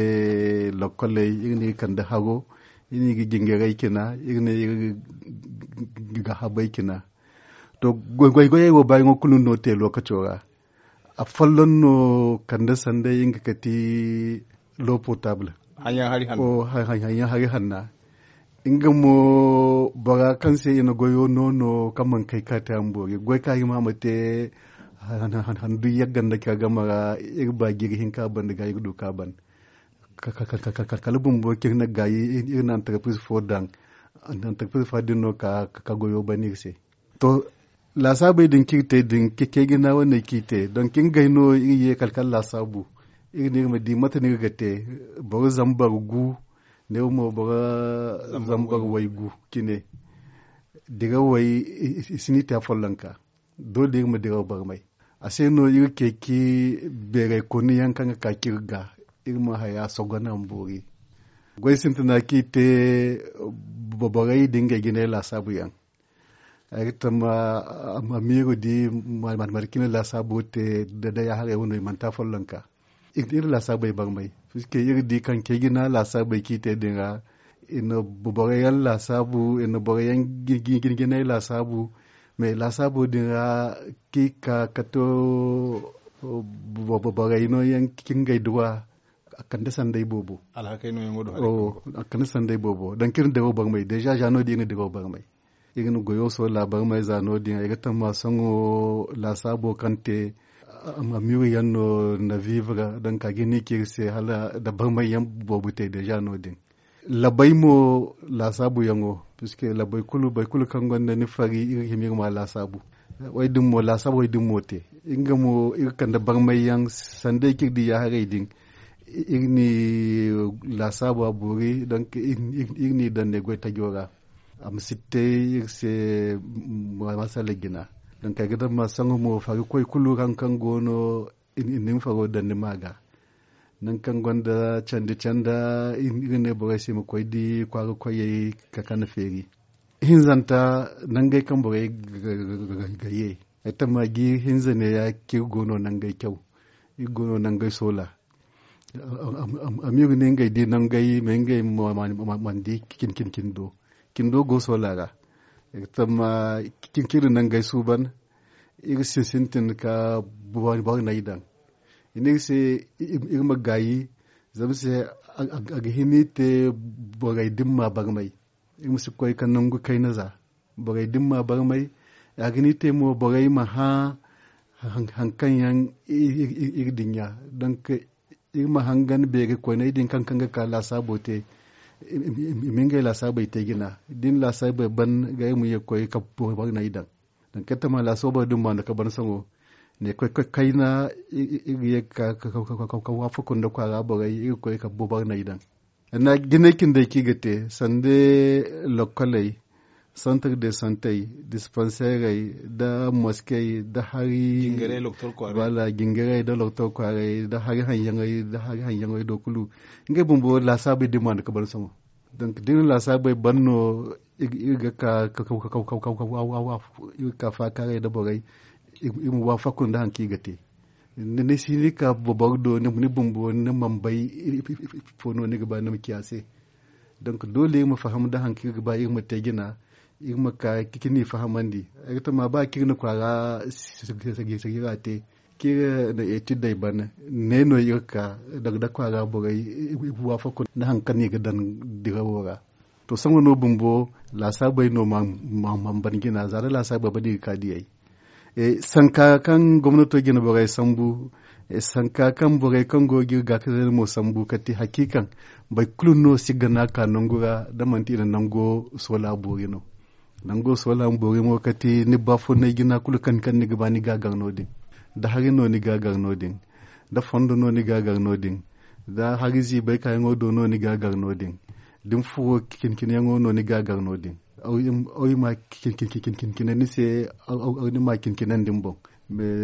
lokkoley. I ga ne i ga kande haro. I ne i ga jingarey cina. I ga ne i ga habey cina. To, goygoyey wo baayaŋo kulu no te lookaco ra. Afolloŋ no kande sanday nga ka ti l'eau potable. Hanyaŋ hari hanna nga mo bora kaŋ se i na goyo noono kaŋ mana kay ka te a ma boori goy kaŋ a hima a ma te handu yagga nda care game ra. Iri ba jiiri hinka banda ga iri du ka ban kala bumbo kaŋ iri na gaayi iri na antarprise fo daŋ. Antarprise fo din no ka goyo ban iri se. To, laasaabey din kaŋ iri te din cecey jina wane kaŋ iri te donk ngey no iri ye kala kala laasaabu. Iri ne iri ma di mate no iri ga te. Boro zambar gu ne wo mo boro zambar way gu cine. Dirawey i si ni te afollonka. Doole iri ma diraw barmay. A se no iri ceeci beeray koni yaŋ kaŋ ga ka kaŋ iri ga iri ma haya sogo na ma boori. Goy sintina kaŋ iri te borey da ngey jinay laasaabu yaŋ. Ay ga tama amiiro di mate kaŋ i na laasaabo te da day a haray wano i manti afollonka. Iri laasaabey barmay puisque iri di kaŋ cey jina laasaabey kaŋ i te din ra. I na boro yaŋ laasaabu i na boro yaŋ jinjinay laasaabu. Mais laasaabo din ra kaŋ i ka ka to borey no yaŋ kaŋ ngey duwa. A kande sanday boobo. A kande sanday boobo donk iri na diraw barmay deeza za no- din iri na diraw barmay. Iri na goyo soola barmay za no- din ay ga tama sohõ laasaabo kaŋ te. Amiiri yaŋ no na viivi ra donk a ga hin i ci iri se hala nda barmay yaŋ boobo te deeza no- din. Labay mo laasaabu yaŋo puisque labay kulu boro kulu kaŋ gonda ni fari iri ga hima iri ma a laasaabu. Way din mo laasaabey din mo te. Nga mo iri kande barmay yaŋ sanday kaŋ iri di ya haray din. Iri n'i laasaabu a boori donk iri n'i daŋ ne goy tajo ra. A ma si te iri se masala jina. Donk ay ga daŋ ma saŋo mo fari koy kulu kaŋ go no i na ni ma faro daŋ ni ma ga. Nangu kaŋ gonda candi canda iri ne borey se i ma koy di kwaara koyey ka kande feeri. Ihinzanta nangey kaŋ borey ga ye ay tamma jiiri hinza neeya kaŋ iri go no nangey caw. Iri go no nangey soola. Amiiri ne ngey di nangey ma ngey mana di cindi cindo go soola ra. Tamma cindi nangey suuban iri sintin ka boro nay daŋ. I ne iri se iri ma gaayi zama se a ga hin iri te borey dimma barmay. Iri ma si koy ka nangu kayna za borey dimma barmay. A ga hin iri te mo borey ma hã hari kaŋ yaŋ iri dinya donk iri ma hangan beeri koyney din kaŋ ga ka laasaabo te. I ma ngey laasaabey te jina da i na laasaabey ban ga iri ma ye ga koy ka boro nay daŋ. Donk iri tamma laasaabey din ma no ka ban saŋo ne koy kayna iri ga ye ga ka waafaku nda kwaara borey iri ga koy ka boro nay daŋ. Jinay cindey kaŋ i ga te sanda lokkoley, santar de santey, dispanseerey, nda moskey nda hari jingarey nda loktor kwaarey nda hari haŋyaŋey nda hari haŋyaŋey do kulu ngey bumbo laasaabey din ma no ka ban sohõ. Donk da i na laasaabey ban no iri ga ka faakaaray nda borey iri ma waafaku nda hari kaŋ i ga te. Ni si ni ka boro do ni bumbo ni mana bay ifo no ni ga ba ni ma ci a se. Donk doole iri ma faham nda hari kaŋ iri ga ba iri ma te jina. Iri ma ka ka ni fahamandi ay ga tama ba kaŋ iri na kwaara sagira te kaŋ iri na etidey ban ne no iri ka daga da kwaara borey waafaku nda hari kaŋ no i ga daŋ dirawo ra. To sohõ no bumbo laasaabey no mana ban jina za da laasaabey ban i ga ka diyey. Sanka kaŋ gomnato jina borey sambu sanka kaŋ borey kaŋ go ga iri gaakasina mo sambu kala ti hakiikaŋ boro kulu no si gana ka nangu ra da manti i na nango soola boori no. Nango soola boori mo kala ti ni baafunay jina kulu kaŋ ni ga ba ni ga a gar no- din. Da hari no ni ga a gar no- din da fondo no ni ga a gar no- din da hari ziibay kaayaŋo do no ni ga a gar no- din da ni furo cine cineyaŋo no ni ga a gar no- din. Ay ma cine cine ni se ay ni ma cine cine din boŋ.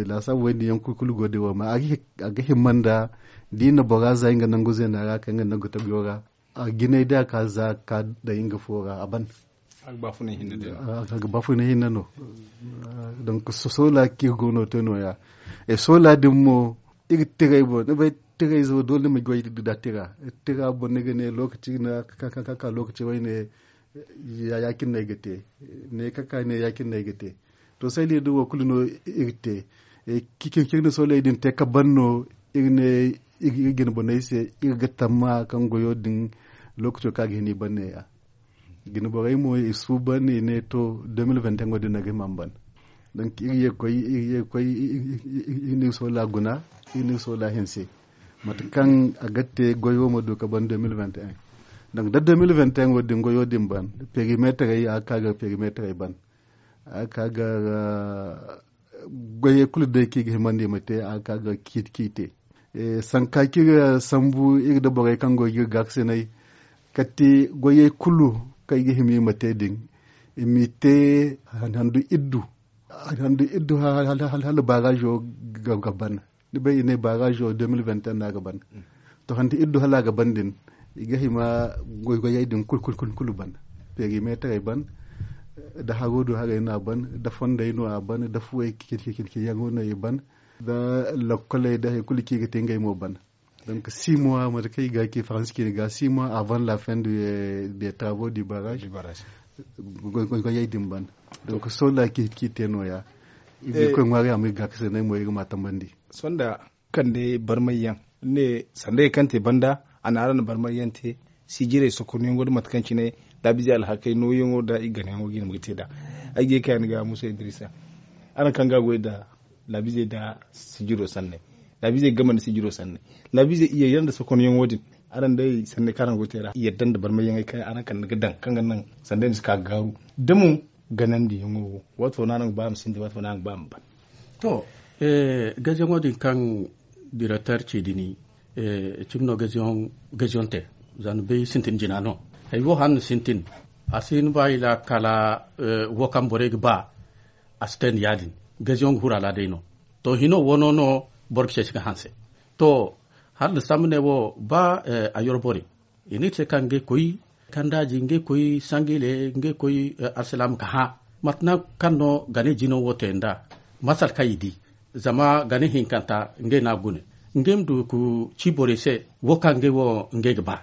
Laasaabu way din yaŋ kulu go day wo ma a ga himma nda da i na bora za nga nangu zeena ra kaŋ nga nangu tabiyo ra a jinay da a ka za ka daŋ nga fo ra a ban. A ga baafunay hinne no. Donk soola kaŋ iri go no te no- ya soola din mo iri ga tiray boŋ ni bay tiray zo doole ni ma goy da tira. Tira boŋ ni ga ne lookaci na ka ka lookaci wayne ya- cine no ay ga te. Ne ka ka ne ya- cine no ay ga te. To sayli din wo kulu no iri ga te. Cine cine sooley din te ka ban no iri ne iri jine boney se iri ga tamma kaŋ goyo din lookaco kaŋ a ga hin i ban ne- ya. Jine borey mo i suuban i ne to deux mille vingt et un wo din no ay ga hima a ma ban. Donk iri ye ga koy iri ye ga koy iri na iri soola guna iri na iri soola hinse. Mate kaŋ a ga te goyo ma du ka ban deux mille vingt et un. Donk da deux mille vingt et un wo din goyo din ban perimeterey a ga ka ga perimeterey ban. A ga ka ga goyey kulu day kaŋ i ga himandi i ma te a ga ka ga ciiti ciiti te. Sanka kaŋ iri ga sambu iri nda borey kaŋ go ga iri gaakasinay kala ti goyey kulu kaŋ i ga hima i ma te din i m'i te handu iddu. Handu iddu hala baarazo ga ban. Ni bay i ne baarazo deux mille vingt et un no a ga ban. To handu iddu hala a ga ban din i ga hima goygoyey din kulu kulu ban. Perimeterey ban da haro do harey no a ban da fondey no a ban da fuwey cine cine yaŋo no i ban da lokkoley da hari kulu kaŋ i ga te ngey mo ban. Donk six mois mate kaŋ i ga ci faransi ciine ga six mois avant la fin des travaux du barrage. Goygoyey din ban. Donk soola kaŋ i te no- ya i ga koy ŋwaari a ma iri gaakasinay mo iri ga ma tambandi. Sohõ da kande barmay yaŋ ne sanda kaŋ te banda a na araŋ na barmay yaŋ te. Sijirey sokonyaŋo da mate kaŋ cine laabize alhakey nooyaŋo nda i ganayaŋo ga i ma ga te nd'a. Ay ga ye ka yaŋ ga musa idrisa araŋ kaŋ ga goy nda laabize nda sijiro sanney. Laabize game nda sijiro sanney. Laabize iyey yaŋ nda sokonyaŋo din araŋ day sanney kaŋ araŋ go ga te ra i yadda nda barmay yaŋey kaŋ araŋ kande ga daŋ kaŋ ga naŋ sanda ni si ka ga gaaru da mo ganandiyaŋo wo. Waato no araŋ ga ba a ma sinda waato no araŋ ga ba a ma ban. To gaziyaŋo din kaŋ direkter ci din cimi no gaziyaŋ te. Za ni bay sintin jina no. Hari wo hane sintin. A si hin ba i la kala wo kaŋ borey ga ba. A si te nda ya- din gaziyoŋ ga huru a la day no. To hino wano no boro ga ceeci ga hanse. To hala nda sambu ne wo ba a yoro borey i ne iri se kaŋ ngey koy kandaaji ngey koy sangile ngey koy alsilaama ga hã mate naŋ kaŋ no gane jino wo te nd'a. Masal kaŋ i di zama gane hinkanta ngey no a ga gune ngey ma du ga ci borey se wo kaŋ ngey wo ngey ga ba.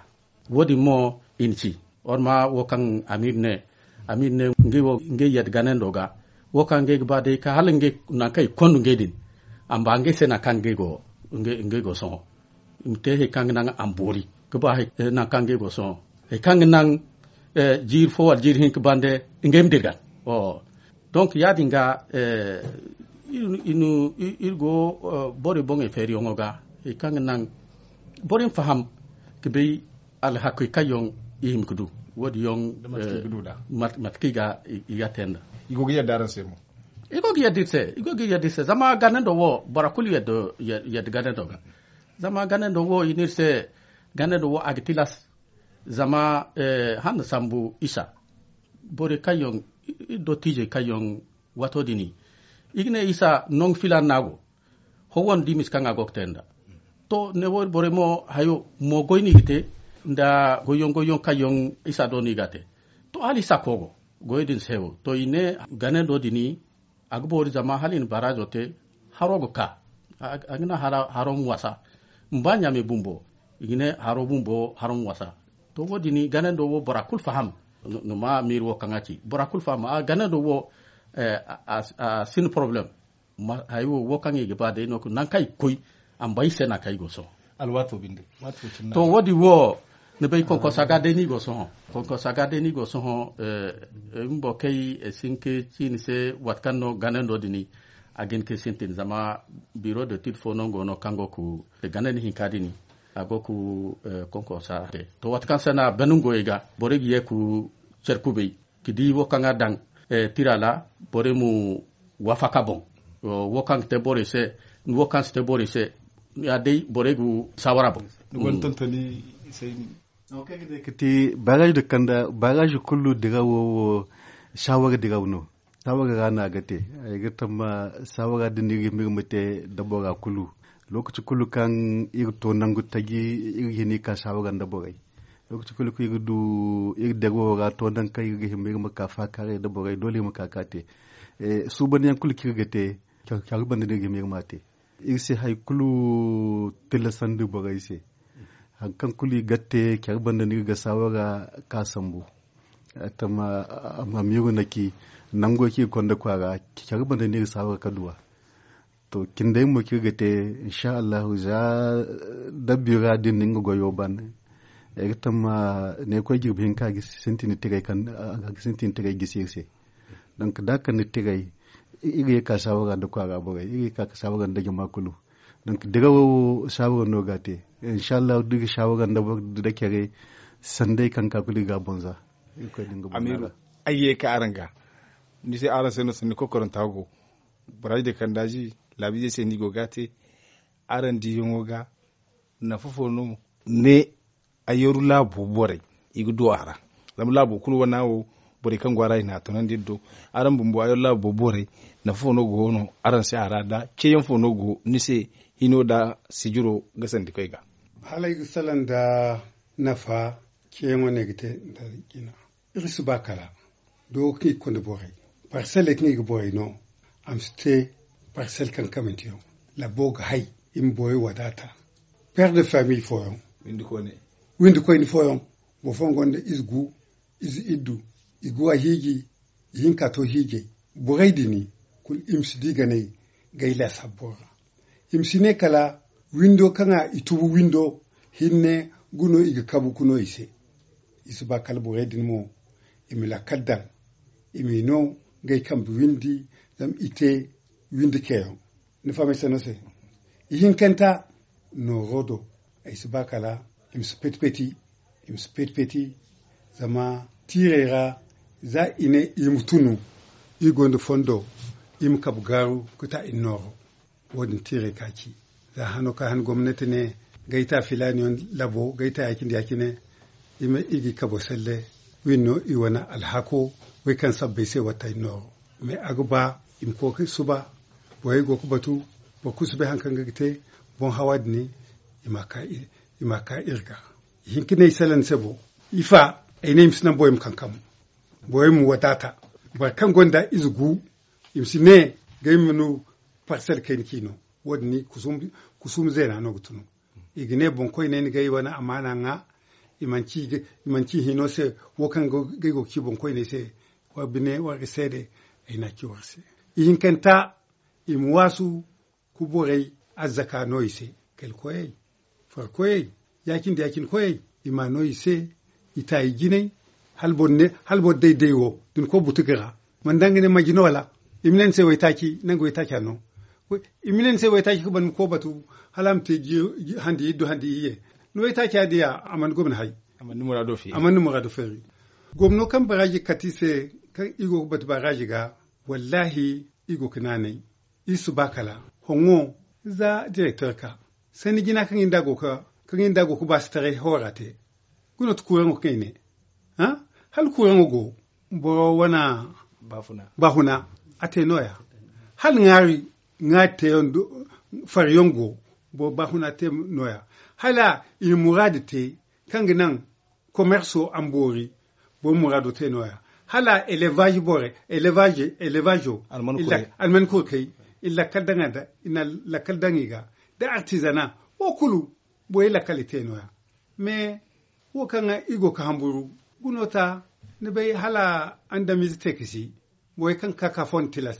Wo- din mo i na ci war ma wo kaŋ amiir ne amiir ne ngey wo ngey yadda ganando ga wo kaŋ ngey ga ba day ka hala ngey nangu kaŋ i ga konda ngey din a ma ba ngey se nangu kaŋ ngey go sohõ. I ma te hari kaŋ ga naŋ a ma boori ga ba nangu kaŋ ngey go sohõ hari kaŋ ga naŋ jiiri fo wala jiiri hinka bande ngey ma dirgan. Donk ya- din ga iri go borey boŋey feeriyaŋo ga hari kaŋ ga naŋ borey ma faham ga bay alhakey kaŋ yaŋ i hima ga du wo- din yaŋ mate kaŋ i ga i ga te nda. I go ga yadda iri se zama ganando wo bora kulu yadda ganando ga. Zama ganando wo i ne iri se ganando wo a ga tilas. Zama hala ni sambu isa borey kaŋ yaŋ iri dottijey kaŋ yaŋ waato din i ga ne isa nangu filaana no a go. Howwandi misa kaŋ a go ga te nda to ne wo iri borey mo hayo mo goy no i ga te nda goyyaŋ goyyaŋ kaŋ yaŋ isa do no i ga a te. To hala isa koogo goyo din se wo to i ne ganando din a ga boori zama hala i na baraazo te haro ga ka a ga naŋ haro ma wasa. Ma ba ɲaamey bumbo i ga ne haro bumbo haro ma wasa. To wo- din ganando wo bora kulu faham. Ni ma miiri wo kaŋ a ci bora kulu faham a ganando wo a sinda porobalem. Hayo wo kaŋ i ga ba day no nangu kaŋ i ga koy a ma bay i se nangu kaŋ i go sohõ. To wo- din wo ni bay konkosa ga day no i go sohõ. Konkosa ga day no i go sohõ. Iri bumbo kaŋ ay si hin ka ci ni se waati kaŋ no ganando din a ga hin ka sintin zama biro de tid fo no go no kaŋ go ga ganandi hinka din a go ga konkosa te. To waati kaŋ se no a ban ngey ga borey ga ye ga care kubay ga di wo kaŋ a daŋ tira ra borey ma waafaka boŋ. Wo kaŋ ga te borey se wo kaŋ si te borey se ya day borey ga saawara boŋ. Ni gonda tontoni. Ay se ni no kaŋ ga ne ga te baraazi da kanda baraazi kulu dirawo wo saawara dirawo no. Saawara ra no a ga te. Ay ga tamma saawara din no iri ga hima iri ma te da bora kulu. Lookaci kulu kaŋ iri to nangu taji iri ga hin iri ka saawara nda borey. Lookaci kulu kaŋ iri ga du iri dirawo ra to nangu kaŋ iri ga hima iri ma ka faakaaray nda borey doole iri ma ka ka te. Suubandiyaŋ kulu kaŋ iri ga te care banda no iri ga hima iri ma a te. Iri se hari kulu tillasandi borey se. Hari kaŋ kulu i ga te care banda no iri ga saawara ka sambu. Tamma a ma iri na ci nango kaŋ iri konda kwaara care banda no iri ga saawara ka du a. To cindey mo kaŋ iri ga te insa allahu za dabbi ra din no nga goyo ban. Ay ga tamma ne koy jirbi hinka a ga sintin tiray gisi iri se. Donk da a kande tiray iri ga ye ka saawara nda kwaara borey iri ga ye ka saawara nda jama kulu. Donk dirawo saawara no ga a te. Insa allahu da iri ga saawara nda care sanday kaŋ ga ka kulu iri ga a boŋ za. Ay ga ye ka araŋ ga ni se araŋ se no sanni kokoranta go. Baraazi de kandaazi laabiizey se no i go ga a te. Araŋ diiyaŋo ga nafa fo no ne? Ayyaru laabo borey i ga du a ra. Zama laabo kulu wana wo borey kaŋ go a ra i na a tunandi iri do. Araŋ bumbo ayyaru laabo borey nafa fo no go no araŋ se a ra da ceeyaŋ fo no go ni se hino da sijiro ga sandi koy ga? Hala ay ga salaŋ nda nafa ceeyaŋo no ay ga te nda jina. Iri si ba kala do kaŋ i ga konda borey parselle kaŋ i ga borey no. A ma si te parselle kaŋ kamanteyaŋ labo ga hay i ma borey wadaata. Père de famille fooyaŋ windi koyne fooyaŋ boro fooyaŋ gonda ize gu ize iddu i ga wa hiiji. Ihinka to hiijay borey din kulu i ma si di ganey gay laasabbo ra. I ma si ne kala windo kaŋ a i tubu windo hinne guno i ga kabu ga no i se. I si ba kala borey din mo i ma lakkal daŋ i m'i no gay kambe windi zama i te windi ceeyaŋ. Ni faham ay se no se ihinkanta nooro do ay si ba kala i ma si peti peti. I ma si peti peti zama tiirey ra za i ne i ma tunu i gonda fondo i ma kabu gaaru ga ta i nooro. Wo- din tiirey ka ci za hano ka han gomnati ne gayta filaani yaŋ labo gayta ya- cine ya- cine i ma i ga i kabo selle. Wi no i wane alhako, way kaŋ sabbay se wattay nooro. Mais a ga ba i ma koy suba, borey go ga batu, boro kulu si bay hari kaŋ ga te. Boŋ hawa din, i ma ka iri ga. Ihinka ne i salaŋ se bo, ifa ay ne i ma si naŋ borey ma kankam, borey ma wadaata. Boro kaŋ gonda ize gu, i ma si ne gay ma no. Parsel kayna k'i no. Wo- din kusum zeena no ga tunu. I ga ne boŋkoyney na gay wane amaana ŋwa. I manci hino se, wo kaŋ gay go ga ci boŋkoyney se. War bine war ga seede. Ay n'a ci war se. Ihinkanta, i ma waasu. Ku borey azzaka no i se. Kali koyey, far koyey, ya- cine ya- cine koyey, i ma no i se. I taayi jinay. Hala boro day day wo da ni koy butuga ra, mana daŋ ga ne manji no wala? I ma ne ni se waytaaci, nangu waytaaca no. I ma ne ni se waytaaci ga ban ni koy batu. Hala a ma te handi iddu handi iyye. Ni waytaaca diya a mana gomni hay. A mana ni muraado feeri. Gomno kaŋ baraaji kati se, kaŋ i go ga batu baraaji ga, wallaahi, i go ga naanay. Iri si ba kala hoŋo za direktor ka sanni jina kaŋ iri nda go ga ba si taray hawara te. Guna ti kuuraŋo kaŋ i ne hala kuuraŋo go. Boro wana baafuna a te nooya. Hala ŋaari ŋaari teyaŋ fariyaŋ go. Boro baafuna te nooya. Hala i na muraadu te kaŋ ga naŋ komerso a ma boori. Boro muraado te nooya. Hala elevaazi borey elevaazo alman kurkey i na lakkal daŋ i ga da artizana. Wo kulu borey lakkal i te nooya. Mais wo kaŋ i go ga hamburu guno ta. Ni bay hala andamize te ga si borey kaŋ ga ka ka fondo tilas.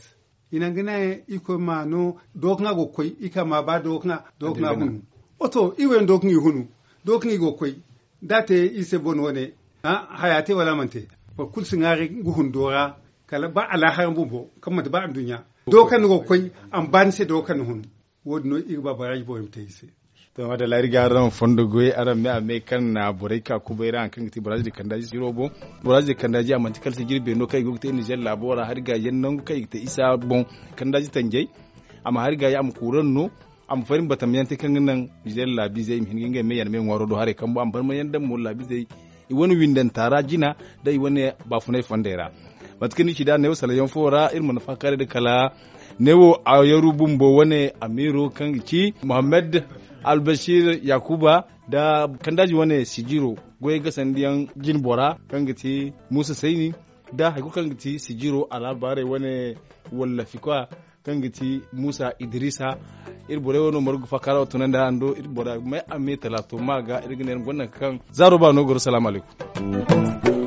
I naŋ ga ne i koy ma no dookaŋa go ga koy i ka ma ba dookaŋa hunu. Oto i wo yaŋ dookaŋa i hunu dookaŋa i go ga koy. Da a te i se bone wane haya te wala a mana te. Boro kulu si ŋwaari ga hundo ra kala ba alaahara bumbo kaŋ manti ba anduɲɲa. Dookaŋa ni go ga koy a ma ba ni se dookaŋa ni hunu. Wo- din no i ga ba baraaji borey ma te i se. To madalla iri ga araŋ fondo goy araŋ me a me kaŋ na borey ka kubay ra hari kaŋ ga te baraaji din kandaaji siro boŋ. Baraaji din kandaaji a manti kala sijiri beeno kaŋ i go ga te nizer laabo ra hari ga yaŋ nangu kaŋ i ga te isa boŋ. Kandaaji tanjay a ma hari ga ya a ma kuuraŋ no. A ma fari ma batam yaŋ te kaŋ ga naŋ nizer laabiizey i ma hin ga ngey me yaŋ me ŋwaaro do haray kambo a ma barma yaŋ daŋ mo laabiizey i wane windanta ra jina da i wane baafunay fondey ra. Mate kaŋ ni ci da neewo salayaŋ fo ra iri mana faakaaray da kala neewo a yaru bumbo wane amiiro kaŋ ga ci muhammad albashir yakuba da kandaaji wane sijiro goyey gasandiyaŋ jinbora kaŋ ga ti muusa sayni da hari kulu kaŋ ga ti sijiro alaabaarey wane wallafi kwa kaŋ ga ti muusa idrisa. Iri borey wano margu faakara wo tunandi araŋ do iri bora may a me talaato ma ga iri ga ne iri gonda nangu kaŋ zaaro ba no goro salaamu alaykum.